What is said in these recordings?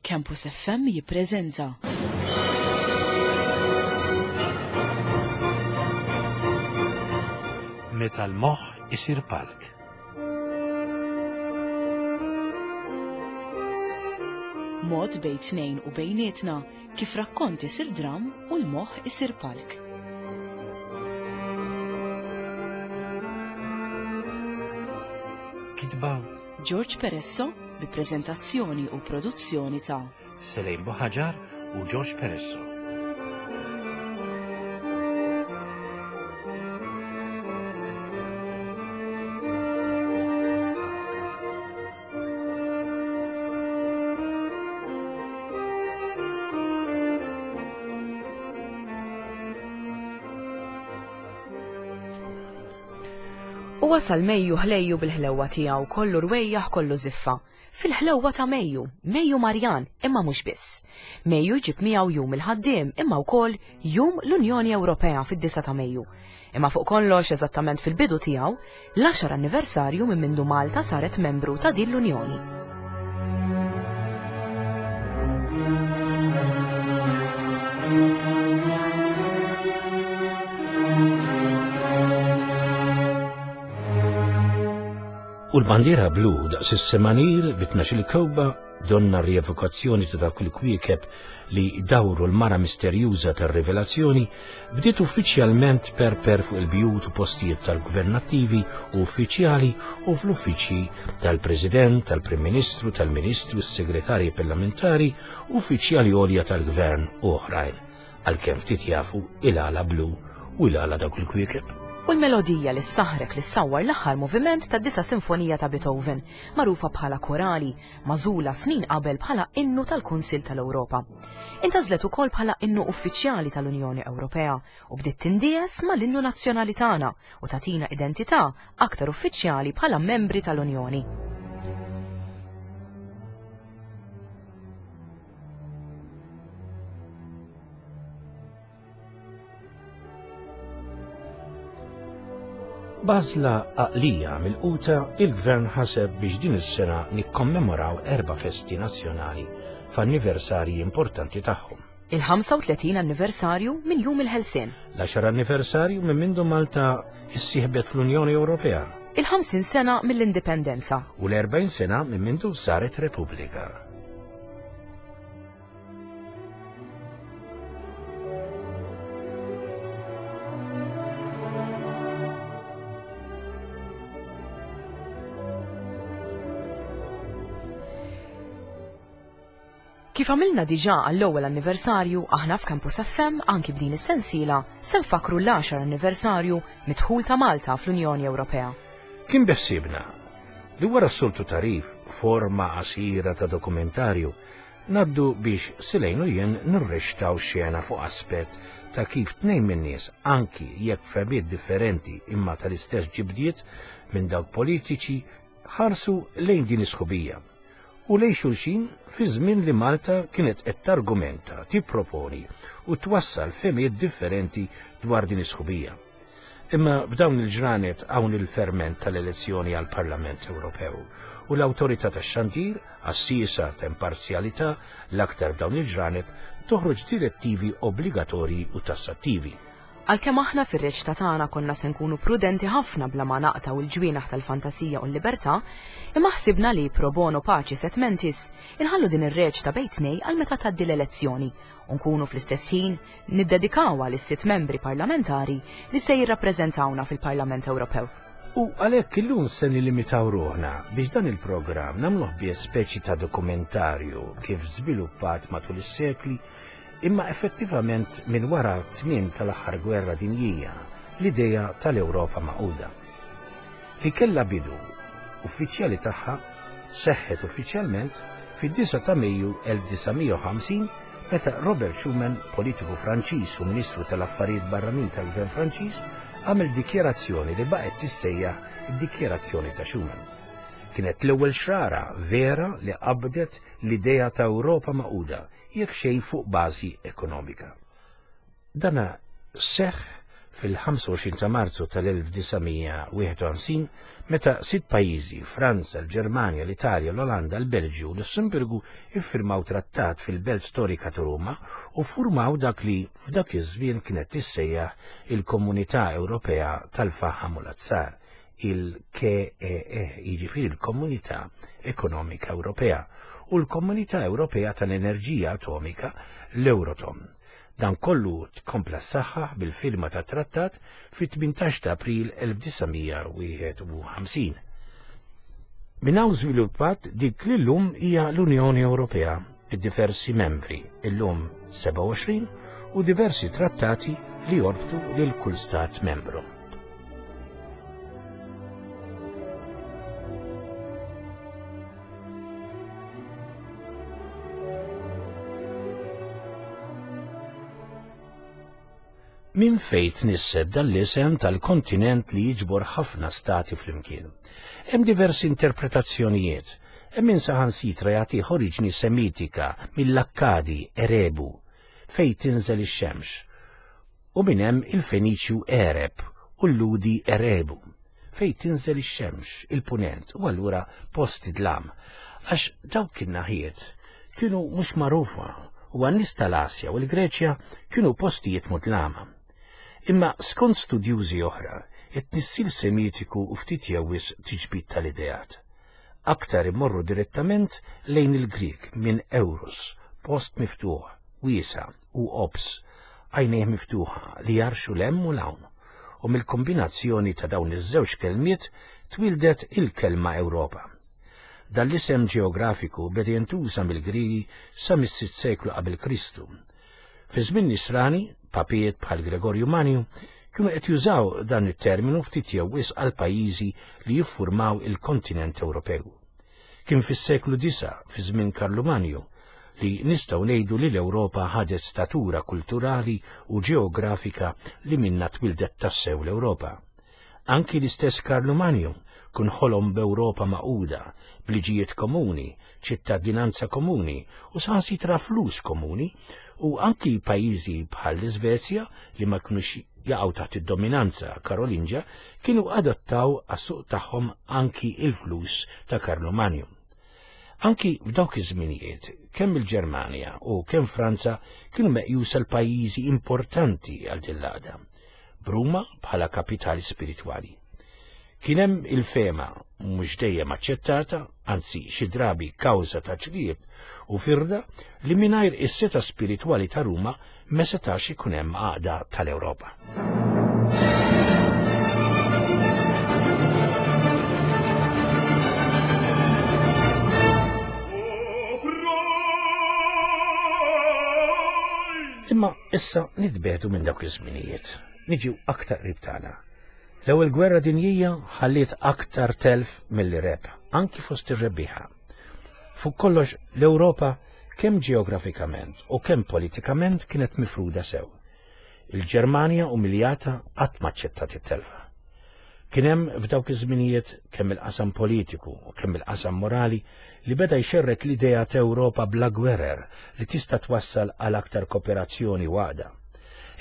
Campus FM jippreżenta. Meta l-moħħ isir palk. Mod bejn tnejn u bejnietna kif rakkont isir dram u l-moħħ isir palk. Kitba George Peresso bi preżentazzjoni u produzzjoni ta' Selejn Buħaġar u George Peresso. U wasal Mejju ħlejju bil-ħlewwa tiegħu kollu rwejjaħ kollu żiffa. Fil-ħlewwa ta' Mejju, Mejju Marjan, imma mhux biss. Mejju jġib miegħu jum il-ħaddiem imma wkoll jum l-Unjoni Ewropea fid-9 ta' Mejju. Imma fuq kollox eżattament fil-bidu tiegħu, l-għaxar anniversarju minn mindu Malta saret membru ta' din l-Unjoni. U l-bandiera blu daqs is-semanir bi tnax-il kewba donna rievokazzjoni ta' dawk il-kwiekeb li dawru l-mara misterjuża tar-rivelazzjoni bdiet uffiċjalment tperper fuq il-bjut u postijiet tal-gvernattivi u uffiċjali u fl-uffiċċji tal-President, tal-Prim Ministru, tal-Ministri u s-Segretarji Parlamentari, uffiċjali għolja tal-Gvern u oħrajn, għalkemm ftit jafu il-għala blu u il-għala dawk il-kwiekeb. U l-melodija li ssaħħrek li ssawwar l-aħħar moviment tad-disa' sinfonija ta' Beethoven, magħrufa bħala Korali, magħżula snin qabel bħala innu tal-Kunsill tal-Ewropa. Intgħażlet ukoll bħala innu uffiċjali tal-Unjoni Ewropea u bdiet tindies mal-innu nazzjonali tagħna u tagħtina identità aktar uffiċjali bħala membri tal-Unjoni. B'għażla għaqlija milquta, il-Gvern ħaseb biex din is-sena nikkommemoraw erba' festi nazzjonali f'anniversarji importanti tagħhom. Il-35 anniversarju minn Jum il-Ħelsien. L-għaxar anniversarju minn mindu Malta issieħbet fl-Unjoni Ewropea. Il-50 sena mill-Indipendenza. U l-40 sena minn mindu saret Repubblika. Kif għamilna diġà għall-ewwel anniversarju, aħna f'Campus FM anki b'din is-sensiela se nfakkru l-għaxar anniversarju mid-dħul ta' Malta fl-Unjoni Ewropea. Kien beħsiebna li wara s-soltu tagħrif forma qasira ta' dokumentarju Ngħaddu biex Silejn u jien nirrextaw xena fuq aspett ta' kif tnejn min-nies, anki jekk fehmiet differenti imma tal-istess ġibdiet minn dawk politiċi, ħarsu lejn din is-sħubija u lejn xulxin fi żmien li Malta kienet qed targumenta, tipproponi u twassal fehmiet differenti dwar din is-sħubija. Imma f'dawn il-ġranet hawn il-ferment tal-elezzjoni għall-Parlament Ewropew u l-Awtorità tax-Xandir, għassiesa ta' imparzjalità, l-aktar f'dawn il-ġranet, toħroġ direttivi obbligatorji u tassattivi. Għalkemm aħna fir-reċta tagħna konna se nkunu prudenti ħafna bla ma naqtgħu l-ġwienaħ tal-fantasija u l-libertà, imma ħsibna li pro bono pacis et mentis inħallu din ir-reċta bejn tnej għal meta tgħaddi l-elezzjoni u nkunu fl-istess ħin niddedikawha lis-sitt membri parlamentari li se jirrappreżentawna fil-Parlament Ewropew. U għalhekk illum se nilimitaw ruħna biex dan il-programm nagħmluh biss speċi ta' dokumentarju kif żviluppat matul is-sekli imma effettivament minn wara t-tmiem tal-aħħar gwerra dinjija l-idea tal-Ewropa Magħquda. Li kellha bidu uffiċjali tagħha seħħet uffiċjalment fid-9 ta' Mejju 1950 meta Robert Schuman, politiku Franċiż u Ministru tal-Affarijiet Barranin tal-Gvern Franċiż, għamel dikjarazzjoni li baqgħet tissejjaħ id-Dikjarazzjoni ta' Schuman. Kienet l-ewwel xrara vera li qabdet l-idea ta' Ewropa magħquda, jekk xejn fuq bażi ekonomika. Dana seħħ fil-25 ta' Marzu tal-1951 meta sitt pajjiżi, Franza, l-Ġermanja, l-Italja, l-Olanda, l-Belġju u Lussemburgu iffirmaw trattat fil-belt storika ta' Ruma u ffurmaw dak li f'dak iż-żmien kienet tissejjaħ il-Komunità Ewropea tal-Faħam u l-Azzar, il-KEE, jiġifieri l-Komunità Ekonomika Ewropea, u l-Komunità Ewropea tal-Enerġija Atomika, l-Euratom. Dan kollu tkompla ssaħħaħ bil-firma tat-trattat fit-18 ta' April 1951. Minn hawn żviluppat dik li llum hija l-Unjoni Ewropea, bid-diversi membri, illum 27, u diversi trattati li jorbtu lil kull stat membru. Minn fejn tnisset dan l-isem tal-kontinent li jiġbor ħafna stati flimkien? Hemm diversi interpretazzjonijiet. Hemm min saħansitra jagħtih oriġni Semitika mill-Akkadi Erebu, fejn tinżel ix-xemx, u minn hemm il-Feniċju Ereb u l-Lhudi Erebu, fejn tinżel ix-xemx, il-punent, u allura post id-dlam, għax dawk in-naħiet kienu mhux magħrufa u għan-nies tal-Asja u l-Greċja kienu postijiet mudlama. Imma skont studjużi oħra, it-tnissil Semitiku u ftit jew wisq tiġbid tal-ideat. Aktar imorru direttament lejn il-Grieg minn Eurus, post miftuħ, wiesa' u ops, għajnejh miftuħa li jarxu 'l hemm u 'l hawn, u mill-kombinazzjoni ta' dawn iż-żewġ kelmiet twieldet il-kelma Ewropa. Dan l-isem ġeografiku beda jintuża mill-Griegi sa mis-sitt seklu qabel Kristu. Fi żmien Nisrani, papijiet bħal Gregorju Manju kienu qed jużaw dan it-terminu ftit jew wisq għall-pajjiżi li jiffurmaw il-kontinent Ewropew. Kien fis-seklu disa', fi żmien Karlumanju, li nistgħu ngħidu li l-Ewropa ħadet statura kulturali u ġeografika li minnha twildet tassew l-Ewropa. Anki l-istess Karlumanju kun ħolom b'Ewropa magħquda, b'liġijiet komuni, ċittadinanza komuni u saħansitra flus komuni u anki pajjiżi bħall-Iżvezja li ma kinux jaqgħu taħt id-dominanza Karolinġja kienu adottaw għas-suq tagħhom anki il-flus ta' Karlumanju. Anki f'dawk iż-żminijiet, kemm il-Ġermanja u kemm Franza kienu meqjusa l-pajjiżi importanti għal din l-għaqda, b'Ruma bħala kapitali spiritwali. Kien hemm il-fehma, mhux dejjem aċċettata, anzi xi drabi kawża ta' ċriep u firda, li mingħajr is-setgħa spiritwali ta' Ruma ma setax ikun hemm għaqda tal-Ewropa. Imma issa nitbedu minn dawk iż-żminijiet, niġu aktar qrib tagħna. L-Ewwel Gwerra Dinjija ħalliet aktar telf milli rebħ, anki fost ir-rebbieħa. Fuq kollox, l-Ewropa kemm ġeografikament u kemm politikament kienet mifruda sew. Il-Ġermanja umiljata qatt ma aċċettat it-telfa. Kien hemm f'dawk iż-żminijiet kemm il-qasam politiku u kemm il-qasam morali li beda jxerred l-idea ta' Ewropa bla gwerer li tista' twassal għal aktar koperazzjoni u għaqda.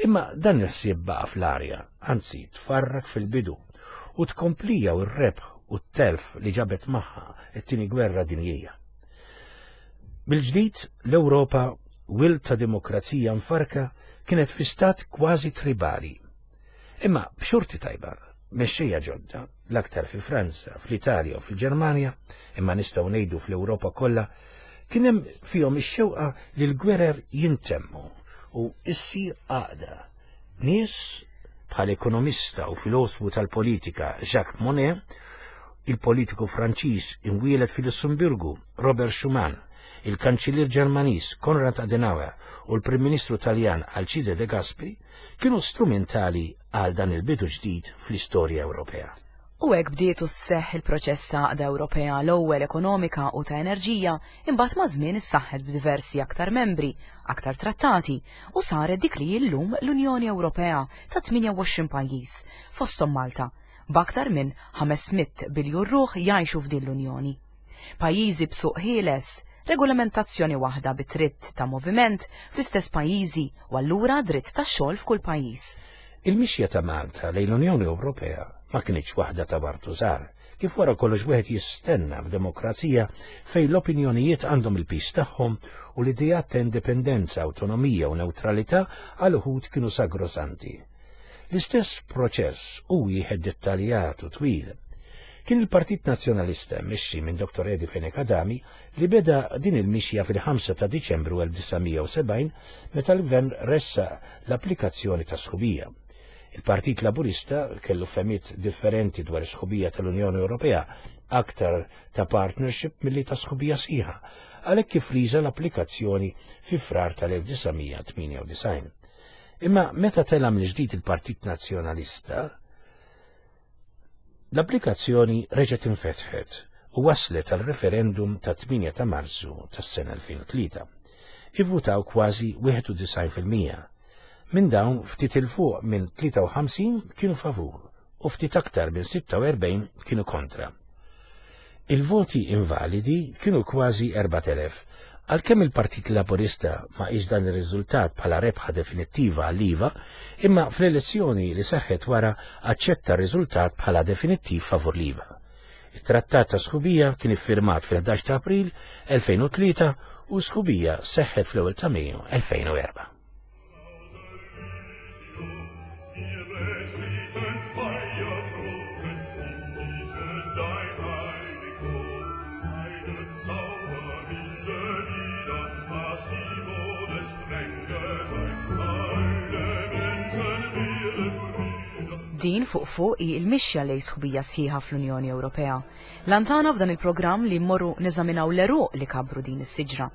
Imma dan il-ħsieb baqa' fl-arja, anzi tfarrak fil-bidu, u tkomplija u r-rebħ u t-telf li ġabet magħha t-Tieni Gwerra Dinjija. Mill-ġdid l-Ewropa, wild ta' demokrazija mfarrka, kienet fi stat kważi tribali. Imma b'xorti tajba, mexxejja ġodda, l-aktar fi Franza, fl-Italja u fil-Ġermanja, imma nistgħu ngħidu fl-Ewropa kollha, kien hemm fihom ix-xewqa li l-gwerer jintemmu u ssir għaqda. Nies bħal ekonomista u filosfu tal-politika Jacques Monnet, il-politiku Franċiż imwieled fil-Lussemburgu Robert Schuman, il-Kanċillier Ġermaniż Konrad Adenauer u l-Prim Ministru Taljan Alcide De Gasperi kienu strumentali għal dan il-bidu ġdid fl-istorja Ewropea. U hekk bdiet u sseħħ il-proċess ta' għaqda Ewropea l-ewwel ekonomika u ta' enerġija, imbagħad maż-żmien issaħħet b'diversi aktar membri, aktar trattati, u saret dik li hi llum l-Unjoni Ewropea ta' 28 pajjiż, fosthom Malta, b'aktar minn 500 biljun ruħ jgħixu f'din l-Unjoni. Pajjiżi b'suq ħieles, regolamentazzjoni waħda bi dritt ta' moviment fl-istess pajjiżi u allura dritt tax-xogħol f'kull pajjiż. Il-mixja ta' Malta lejn l-Unjoni Ewropea ma kinitx waħda ta' Bartuzar, kif wara kollox wieħed jistenna f'demokrazija fejn l-opinjonijiet għandhom il-piż tagħhom u l-ideat ta' indipendenza, awtonomija u newtralità għal uħud kienu sagrosanti. L-istess proċess hu wieħed dettaljat u twil. Kien il-Partit Nazzjonalista mmexxi minn Dr. Eddie Fenech Adami li beda din il-mixja fil-5 ta' Diċembru 1970 meta l-Gvern ressaq l-applikazzjoni ta' sħubija. Il-Partit Laburista kellu fehmiet differenti dwar is-sħubija tal-Unjoni Ewropea, aktar ta' partnership milli ta' sħubija sħiħa, għalhekk kif riża l-applikazzjoni fi Frar tal-1998. Imma meta tela' mill-ġdid il-Partit Nazzjonalista, l-applikazzjoni reġgħet infetħet u waslet għal referendum ta' 8 ta' Marzu tas-sena 2003. Ivvutaw kważi 91%. Minn dawn ftit 'il fuq minn 53 kienu favur u ftit aktar minn 46 kienu kontra. Il-voti invalidi kienu kważi 4,000. Għalkemm il-Partit Laburista ma qis dan ir-riżultat bħala rebħa definittiva għall-iva, imma fl-elezzjoni li seħħet wara aċċetta r-riżultat bħala definittiv favur l-iva. It-Trattat ta' Sħubija kien iffirmat fil-11 ta' April 2003 u s-sħubija seħħet fl-ewwel ta' Mejju 2004. Din fuq fuq hi l-mixja lejn sħubija sħiħa fl-Unjoni Ewropea. L-għan tagħna f'dan il-programm li mmorru neżaminaw l-għeruq li kabbru din is-siġra.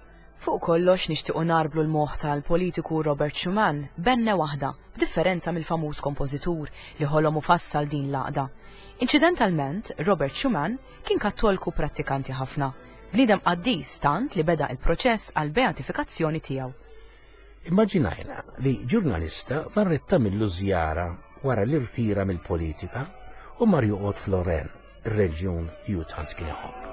Fuq kollox nixtiequ ngħarblu l-moħħ tal-politiku Robert Schuman b'għenne waħda, b'differenza mill-famuż kompożitur li ħolom u fassal din l-għaqda. Inċidentalment, Robert Schuman kien Kattolku prattikanti ħafna, bniedem qaddis tant li beda il-proċess għall-beatifikazzjoni tiegħu. Immaġinajna li ġurnalista marret tagħmillu żjara wara li rtira mill-politika u mar joqgħod f'Lorraine, ir-reġjun li hu tant kien iħobb.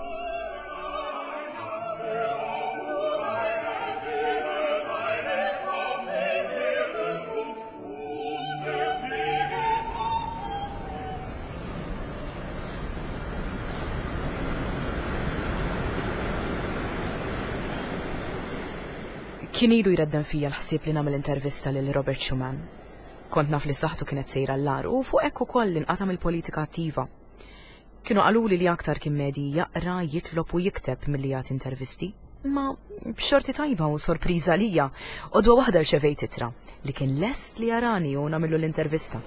Kien ilu jredden fija l-ħsieb li nagħmel intervista lil Robert Schuman. Kont naf li saħħtu kienet sejra l-agħar u fuq hekk ukoll inqata' mill-politika attiva. Kienu qaluli li aktar kien medji jaqra, jitlob u jikteb milli jagħti intervisti. Imma b'xorti tajba u sorpriża għalija, għodwa waħda rċevejt ittra li kien lest li jarani u nagħmillu l-intervista.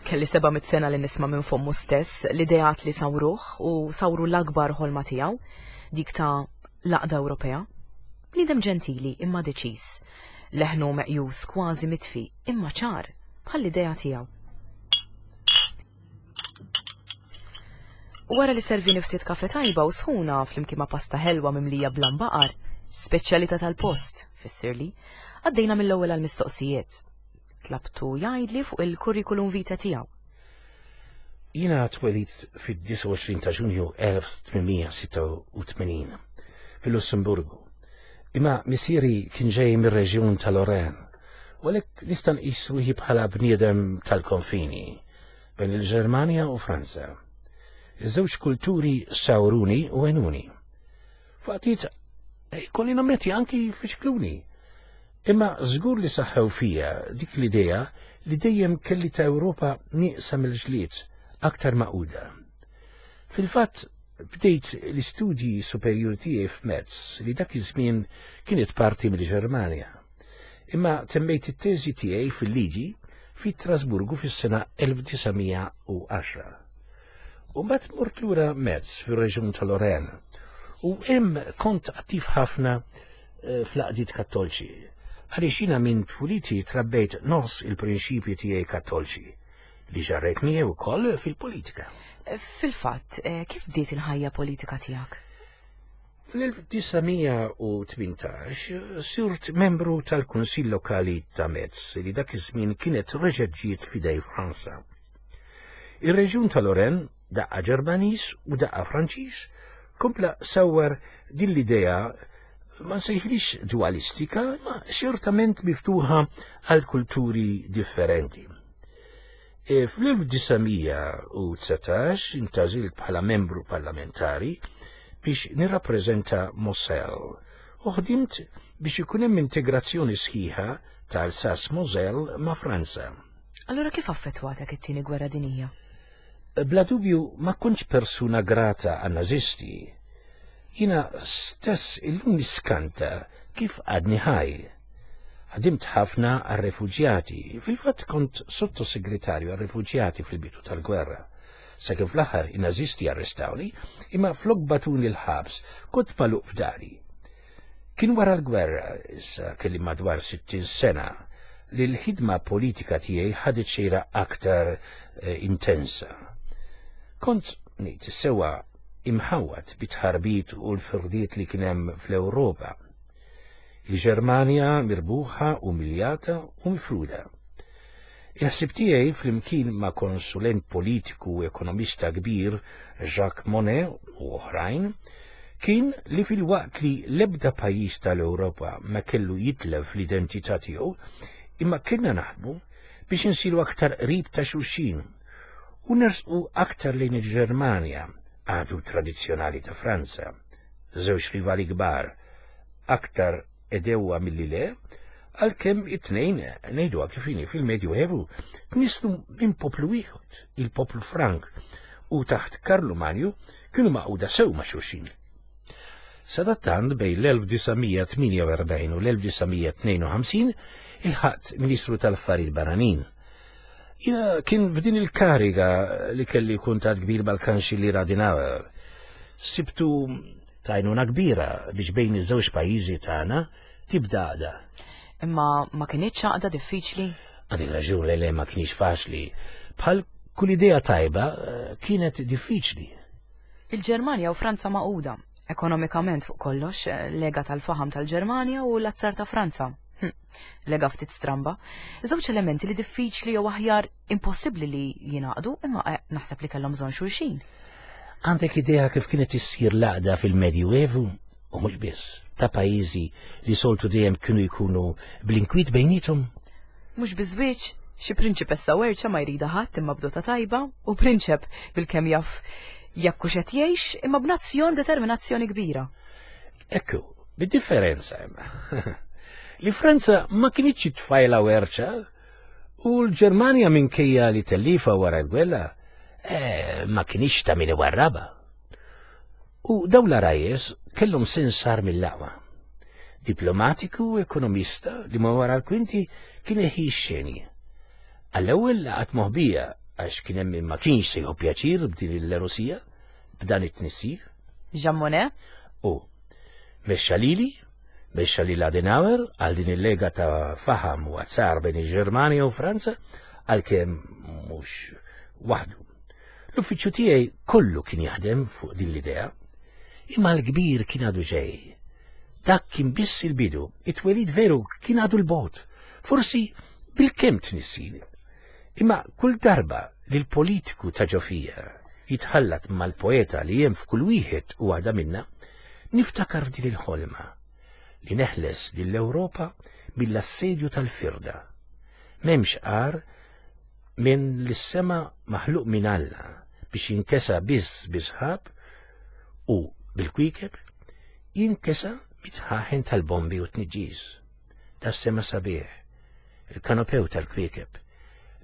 Kelli 700 sena li nisma' minn fommu stess l-ideat li sawruh u sawru l-akbar ħolma tiegħu, dik ta' l-għaqda Ewropea. Bniedem ġentili imma deċiż. Leħnu meqjus kważi mitfi imma ċar bħall-idea tiegħu. Wara li servini ftit kafe tajba u sħuna flimkien ma' pasta ħelwa mimlija bl-ambaqar, speċjalità tal-post, fissirli, għaddejna mill-ewwel għall-mistoqsijiet. Tlabtu jgħidli fuq il-curriculum vitae tiegħu. Jiena twelidt fid-29 ta' Ġunju 1886 fil-Lussemburgu. Imma missieri kien ġej mir-reġjun ta' Lorraine, u għalhekk nista' nqis ruħi bħala bniedem tal-konfini bejn il-Ġermanja u Franza. Iż-żewġ kulturi sawruni u għenuni. Faqtiet ikolli nammetti anki fixkluni. Imma żgur li saħħew fija dik l-idea li dejjem kelli ta' Ewropa nieqsa mill-ġlied, aktar magħquda. Fil-fatt, bdejt l-istudji superjuri tiegħi f'Metz li dak iż-żmien kienet parti mill-Ġermanja. Imma temmejt it-teżi tiegħi fil-liġi fi Strasburgu fis-sena 1910. U mbagħad mort lura Metz fir-reġjun ta' Lorraine u hemm kont attiv ħafna eh, fl-għaqdiet kattolċi. Għaliex jiena minn tfuliti trabbejt nofs il-prinċipji tiegħi kattolċi li ġarrejt miegħi wkoll fil-politika. Fil-fatt, eh, kif bdiet il-ħajja politika tiegħek? Fl-1918 sirt membru tal-Kunsill Lokali ta' Metz li dak iż-żmien kienet reġgħet ġiet f'idej Franza. Ir-reġjun ta' Lorraine, daqqa Ġermaniż u daqqa Franċiż, kompla sawwar din l-idea ma nsejħlix dualistika, ma ċertament miftuħa għal kulturi differenti. E, Fl-1919 intażilt bħala membru parlamentari biex nirrappreżenta Moselle u ħdimt biex ikun hemm integrazzjoni sħiħa ta' Alsace-Moselle ma' Franza. Allura kif affettwatek it-tieni gwerra dinjija? Bla dubju ma kontx persuna grata għan-Nazisti. Jiena stess illum niskanta kif għadni ħaj. Ħdimt ħafna għar-refuġjati, fil-fatt kont sottosegretarju għar-refuġjati fil-bidu tal-gwerra. Sakemm fl-aħħar in-Nazisti arrestawni, imma flok bagħtuni l-ħabs, kont magħluq f'dari. Kien wara l-gwerra, issa kelli madwar 60 sena, li l-ħidma politika tiegħi ħadet xejra aktar eh, intensa. Kont ngħid sewwa imħawwad bit-tħarbit u l-firdiet li kien hemm fl-Ewropa. Il-Ġermanja mirbuħa, umiljata u mifruda. Il-ħsieb tiegħi flimkien ma' konsulent politiku u ekonomista kbir Jacques Monnet u oħrajn kien li filwaqt li l-ebda pajjiż tal-Ewropa ma kellu jitlef l-identità tiegħu, imma kellna naħdmu biex insiru aktar qrib ta' xulxin u nersqu aktar lejn il-Ġermanja, għadu tradizzjonali ta' Franza, żewġ rivali kbar, aktar għedewwa milli le, għalkemm it-tnejn, ngħiduha kif inhi, fil-Medju Evu tnisslu minn poplu wieħed, il-poplu Frank, u taħt Karlu Manju kienu magħquda sew ma' xulxin. Sadattant bejn l-1948 u l-1952 ilħaqt Ministru tal-Affarijiet Barranin. Jiena kien f'din il-kariga li kelli kuntatt kbir mal-Kanċillier Adenauer. Sibtu Ta' għajnuna kbira biex bejn iż-żewġ pajjiżi tagħna tibda għaqda. Imma ma kinitx għaqda diffiċli? Għandek raġun le le ma kienx faċli. Bħal kull idea tajba eh, kienet diffiċli. Il-Ġermanja u Franza magħquda, ekonomikament fuq kollox, eh, lega tal-faħam tal-Ġermanja u l-azzar ta' Franza. Hm, lega ftit stramba. Żewġ elementi li diffiċli jew aħjar impossibbli li jingħaqdu imma eh, naħseb li kellhom bżonn xulxin. Għandek idea kif kienet issir l-għaqda fil-Medjuevu? U mhux biss, ta' pajjiżi li soltu dejjem kienu jkunu bl-inkwiet bejniethom? Mhux biżwieġ, xi prinċipessa werċa ma jrida ħadd imma bdota tajba u prinċep bilkemm jaf jekk hux qed jgħix imma b'nazzjon determinazzjoni kbira. Ekku, Bid-differenza imma li Franza ma kinitx tfajla werċa u l-Ġermanja minkejja li tellifa wara l-gwerra eh, ma kinitx ta' min iwarraba. U dawn l-arajjes kellhom sens sar mill-aqwa. Diplomatiku u ekonomista li ma wara l-kwinti kien iħi x-xeni. Għall-ewwel laqat moħbija għax kien hemm min ma kienx se jieħu pjaċir b'din il-Lerusija, b'dan it-tnissil. Jean Monnet? U Mexxa lili, mexxa lil Adenauer għal din il-lega ta' faħam u azzar bejn il-Ġermanja u Franza, għalkemm mhux waħdu. L-uffiċċju tiegħi kollu kien jaħdem fuq din l-idea, imma l-kbir kien għadu ġej. Dak kien biss il-bidu, it-twelid veru kien għadu l-bot, forsi bil-kemm tnissil. Imma kull darba li l-politiku ta' ġofija jitħallat mal-poeta li hemm f'kull wieħed u waħda minna, niftakar f'din il-ħolma li neħles lill-Ewropa mill-assedju tal-firda. M'hemmx agħar minn li s-sema maħluq minn Alla biex jinkesa biss bi sħab u bil-kwiekeb jinkesa mit-tħaħen tal-bombi u t-tniġġis. Tas-sema sabiħ, il-kanopew tal-kwiekeb,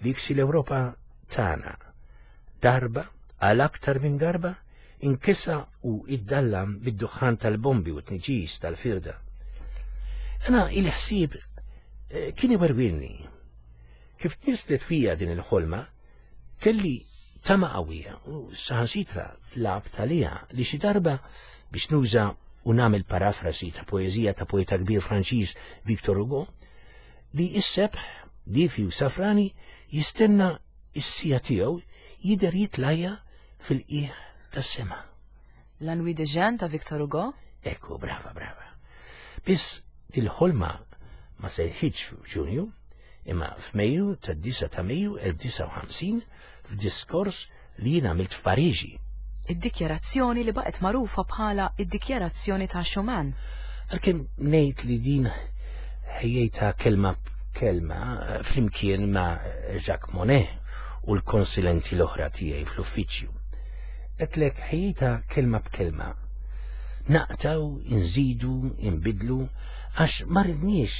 li jiksi l-Ewropa tagħna. Darba, għal aktar minn darba, inkisa u iddallam bid-duħħan tal-bombi u t-tniġis tal-firda. Ena il-ħsieb eh, kien iwerwilni. Kif tnislet fija din il-ħolma, kelli tama qawwija u saħansitra tlab talija li xi darba biex nuża u nagħmel parafrasi ta' poeżija ta' poeta kbir Franċiż Victor Hugo, li s-sebħ difi u safrani jistenna s-sija tiegħu jidher jitlajja fil-qiegħ tas-sema. La Nuit de Jeanne ta' Victor Hugo? Ekku, brava, brava. Biss dil-ħolma ma seħħitx f'Ġunju, imma f'Mejju tad-9 ta' Mejju 1950 f'diskors li jien għamilt f'Pariġi. Id-dikjarazzjoni li baqgħet magħrufa bħala id-Dikjarazzjoni ta' Schuman. Għalkemm ngħid li din ħejjejtha kelma b'kelma flimkien ma' Jacques Monnet u l-konsulenti l-oħra tiegħi fl-uffiċċju. Għedtlek ħejjejtha kelma b'kelma. Naqtgħu, inżidu, inbiddlu għax ma ridniex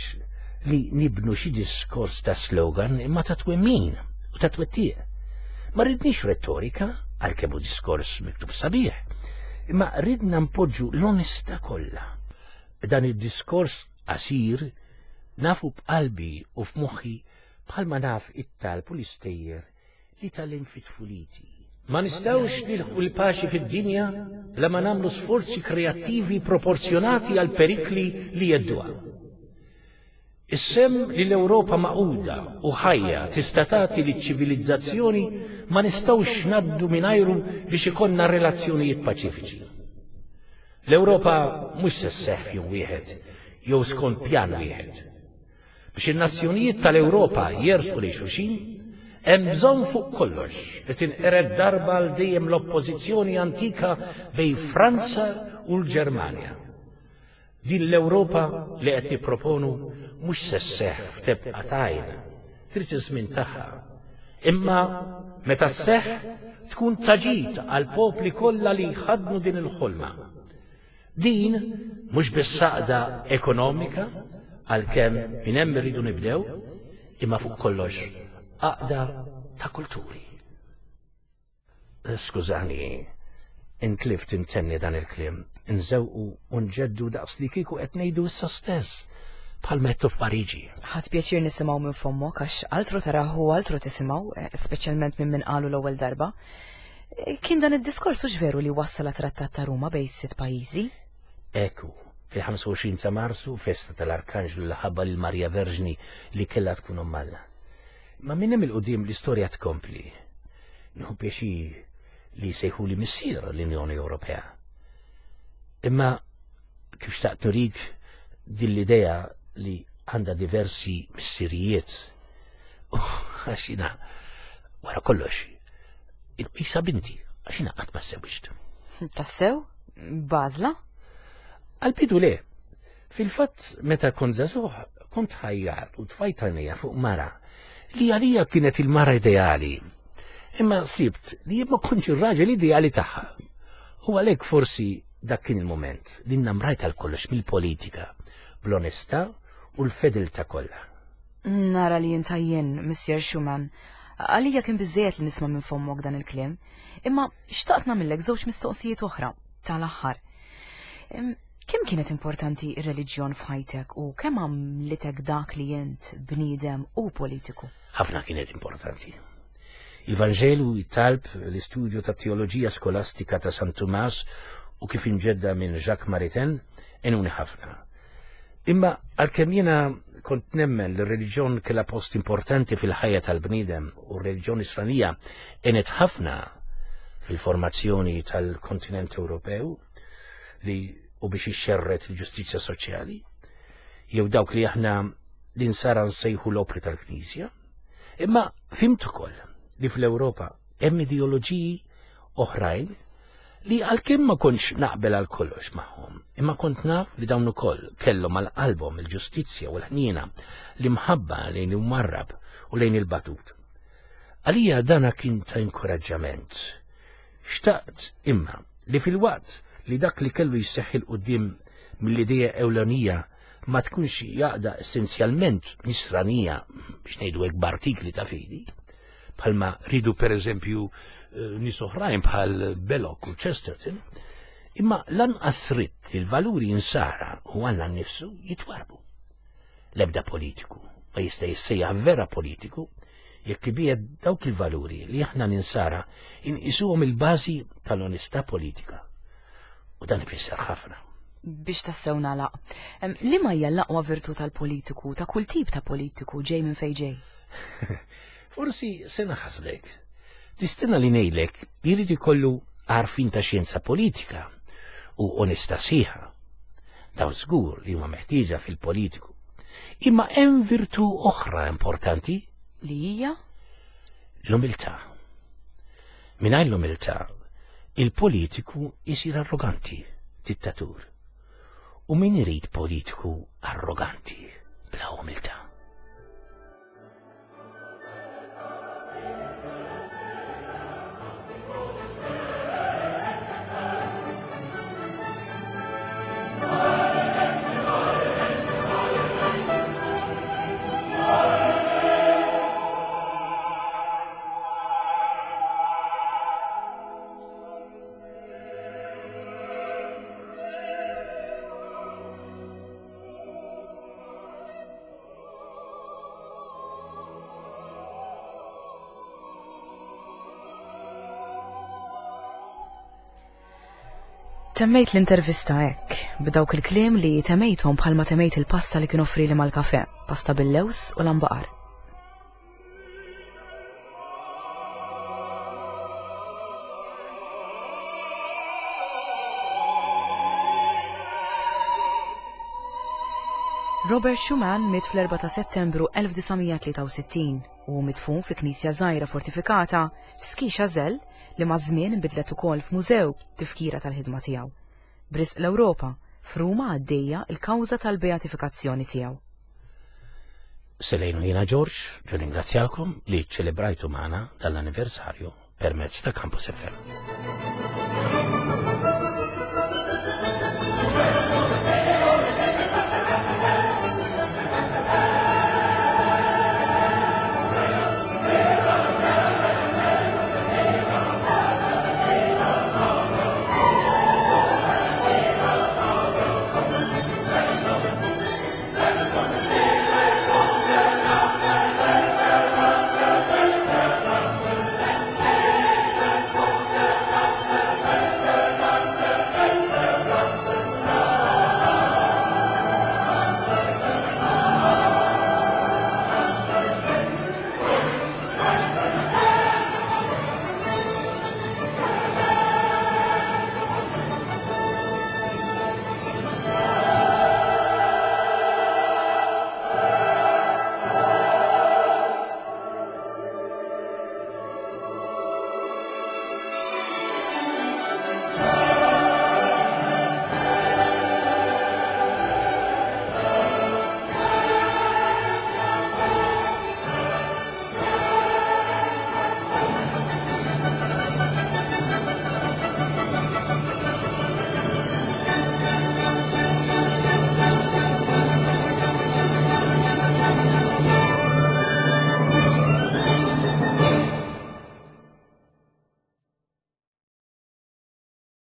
li nibnu xi diskors ta' slogan imma ta' twemmin u ta' twettiq. Ma ridniex rettorika, għalkemm hu diskors miktub sabiħ, imma ridna npoġġu l-onestà kollha. Dan id-diskors qasir nafu b'qalbi u f'moħħi bħalma naf it-talb u l-istejjer li tgħallimt fi tfuliti. Ma nistgħux nilħqu l-paċi fid-dinja bla ma nagħmlu sforzi kreattivi proporzjonati għall-perikli li jhedduha. Is-sehem li l-Ewropa magħquda u ħajja tista' tagħti liċ-ċivilizzazzjoni ma nistgħux ngħaddu mingħajru biex ikollna relazzjonijiet paċifiċi. L-Ewropa mhux se sseħħ f'jum wieħed jew skont pjan wieħed. Biex in-nazzjonijiet tal-Ewropa jersqu lejn xulxin, hemm bżonn fuq kollox li tinqered darba għal dejjem l-oppożizzjoni antika bejn Franza u l-Ġermanja. Din l-Ewropa li qed nipproponu mhux se sseħħ f'tebqa t'għajn, trid iż-żmien tagħha. Imma meta sseħħ tkun ta' ġid għall-popli kollha li jħaddnu din il-ħolma. Din mhux biss għaqda ekonomika, għalkemm minn hemm irridu nibdew, imma fuq kollox għaqda ta' kulturi. Skużani, intlift intenni dan il-kliem, nżewqu u nġeddu daqs li kieku qed ngħidu issa stess, bħal mettu f'Pariġi. Ħadt pjaċir nisimgħu minn fommok għax altru taraħ u altru tisimgħu, eh, speċjalment minn min qalu l-ewwel darba. Eh, kien dan id-diskors hux veru li wassal trattat ta' Ruma bejn sitt pajjiżi? Ekku, fil-25 ta' Marzu, festa tal-Arkanġlu li ħabba lil Marija Verġni li kellha tkun omm Alla. Ma minn hemm il-qudiem l-istorja tkompli. Nieħu pjaċir li jsejħuli missier l-Unjoni Ewropea. Imma kif xtaqt nurik din l-idea li għandha diversi missirijiet. Għax jiena wara kollox, isa binti, għax jiena qatt ma sewwiġt. Tassew? Bażla? Għal-bidu le. Fil-fatt, meta kont żagħżugħ, kont ħajjart u tfajt għajnejja fuq mara li għalija kienet il-mara ideali. Imma sibt li jien ma kontx ir-raġel ideali tagħha. U għalhekk forsi dak kien il-mument li nnamrajt għal kollox mill-politika, bl-onestà u l-fedeltà kollha. Nara li int għajjien, Missier Schumann. Għalija kien biżżejjed li nisma' minn fommok dan il-kliem. Imma xtaqt nagħmillek żewġ mistoqsijiet oħra, tal-aħħar. Kemm kienet importanti r-reliġjon f'ħajtek u kemm għamlitek dak li int bniedem u politiku? Ħafna kienet importanti. Il-Vanġelu, it-talb, l-istudju tat-teoloġija skolastika ta' San Tumas u kif imġedda minn Jacques Maritain għenuni ħafna. Imma għalkemm jiena kont nemmen li r-reliġjon kellha post importanti fil-ħajja tal-bniedem u r-reliġjon Nisranija għenet ħafna fil-formazzjoni tal-kontinent Ewropew, li u biex ixxerred il-ġustizzja soċjali, jew dawk li aħna l-insara nsejħu l-opri tal-Knisja. Imma fimt ukoll li fl-Ewropa hemm ideoloġiji oħrajn li għalkemm ma kontx naqbel għal kollox magħhom, imma kont naf li dawn ukoll kellhom għal qalbhom il-ġustizzja u l-ħniena, l-imħabba lejn il-marrab u lejn il-batut. Għalija dana kien ta' inkoraġġament. Xtaqt, imma, li filwaqt li dak li kellu jseħħ 'il quddiem mill-idea ewlenija ma tkunx xi għaqda essenzjalment nisranija, biex ngħidu hekk b'artikli ta' fidi, bħalma riedu pereżempju eh, nies oħrajn bħal Belloc u Chesterton, imma lanqas ridt li l-valuri insara u Alla nnifsu jitwarrbu. L-ebda politiku ma jista' jissejjaħ vera politiku jekk ibiegħed dawk il-valuri li aħna l-Insara inqisuhom il-bażi tal-onestà politika. U dan ifisser ħafna. Biex tassew nagħlaq, liema hija l-aqwa virtù tal-politiku, ta' kull tip ta' politiku, ġej minn fejn ġej? Forsi se naħsdek. Tistenna li ngħidlek li jrid ikollu għarfien ta' xjenza politika u onestà sħiħa. Dawn żgur li huma meħtieġa fil-politiku. Imma hemm virtù oħra importanti. Li hija? L-umiltà. Mingħajr l-umiltà, Il-politiku jsir arroganti, dittatur. U min irid politiku arroganti bla umiltà? Temmejt l-intervista hekk, b'dawk il-kliem li temmejthom bħalma temmejt il-pasta li kien offrili mal-kafe, pasta bil-lews u l-ambaqar. Robert Schumann miet fl-4 ta' Settembru 1963 u midfun fi knisja żgħira fortifikata f'Ski-Chazelle li maż-żmien inbidlet ukoll f'mużew b'tifkira tal-ħidma tiegħu. B'risq l-Ewropa, f'Ruma għaddejja l-kawża tal-beatifikazzjoni tiegħu. Selejn u jiena George, nirringrazzjakom li ċċelebrajtu magħna dan l-anniversarju permezz ta' Campus FM.